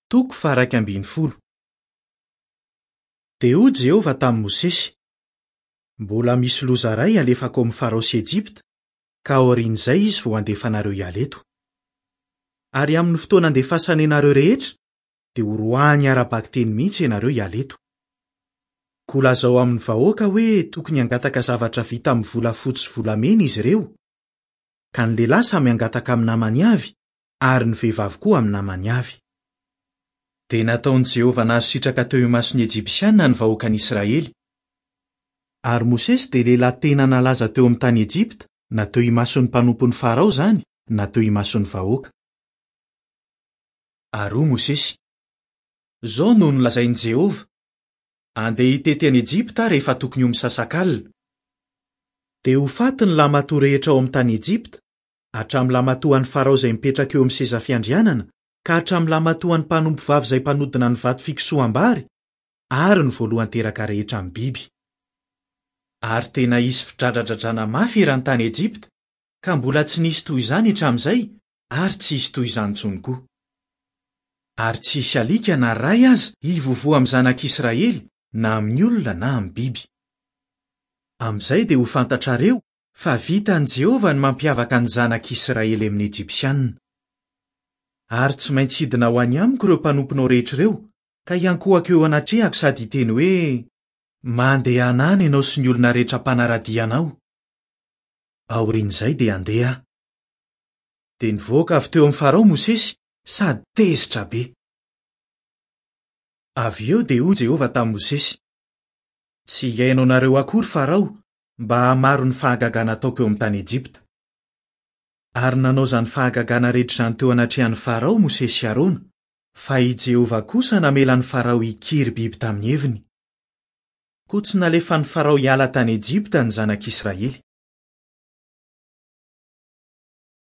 Toko faha-11. Dia hoy Jehovah tamin'i Mosesy, Mbola misy loza iray halefako amin'i Farao sy Ejipta, ka aorian'izay izy vao handefa anareo hiala eto. Ary amin'ny fotoana andefasany anareo rehetra, dia horoahiny ara-bakiteny mihitsy ianareo hiala eto. Koa lazao amin'ny vahoaka hoe tokony hangataka zavatra vita amin'ny volafotsy sy volamena izy ireo, ka ny lehilahy samy hangataka amin'ny namany avy, ary ny vehivavy koa amin'ny namany avy. Dia nataon'i Jehovah nahazo sitraka teo imason'ny Ejipsiana ny vahoakan'Israely. Ary Mosesy dia lehilahy tena nalaza teo amin'ny tany Ejipta, na teo imason'ny mpanompon'i Farao izany, na teo imason'ny vahoaka. Ary hoy Mosesy, Izao no nolazain'i Jehovah, 'Andeha hitety an'i Ejipta aho rehefa tokony ho misasakalina. Dia ho faty ny lahimatoa rehetra ao amin'ny tany Ejipta, hatramin'ny lahimatoan'i Farao izay mipetraka eo amin'ny seza fiandrianana ka hatramin'ny lahimatoan'ny mpanompovavy izay mpanodina ny vato fikosoham-bary, ary ny voalohan-teraka rehetra amin'ny biby. Ary tena hisy fidradradradrana mafy eran'ny tany Ejipta, ka mbola tsy nisy toy izany hatramin'izay ary tsy hisy toy izany intsony koa. Ary tsy hisy alika na iray aza hivovoa amin'ny zanak'Israely, na amin'ny olona na amin'ny biby. Amin'izay dia ho fantatrareo fa vitan'i Jehovah ny mampiavaka ny zanak'Israely amin'ny Ejipsianina. Ary tsy maintsy hidina ho any amiko ireo mpanomponao rehetra ireo, ka hiankohoka eo anatrehako sady hiteny hoe, 'Mandehana any ianao sy ny olona rehetra mpanara-dia anao. Aorian'izay dia handeha aho. Dia nivoaka avy teo amin'i Farao Mosesy sady tezitra be. Avy eo dia hoy Jehovah tamin'i Mosesy, Tsy hihaino anareo akory Farao, mba hahamaro ny fahagagana ataoko eo amin'ny tany Ejipta. Ary nanao izany fahagagana rehetra izany teo anatrehan'i Farao Mosesy sy Arona, fa i Jehovah kosa namela an'i Farao hikiry biby tamin'ny heviny. Koa tsy nalefan'i Farao hiala tany Ejipta ny zanak'Israely.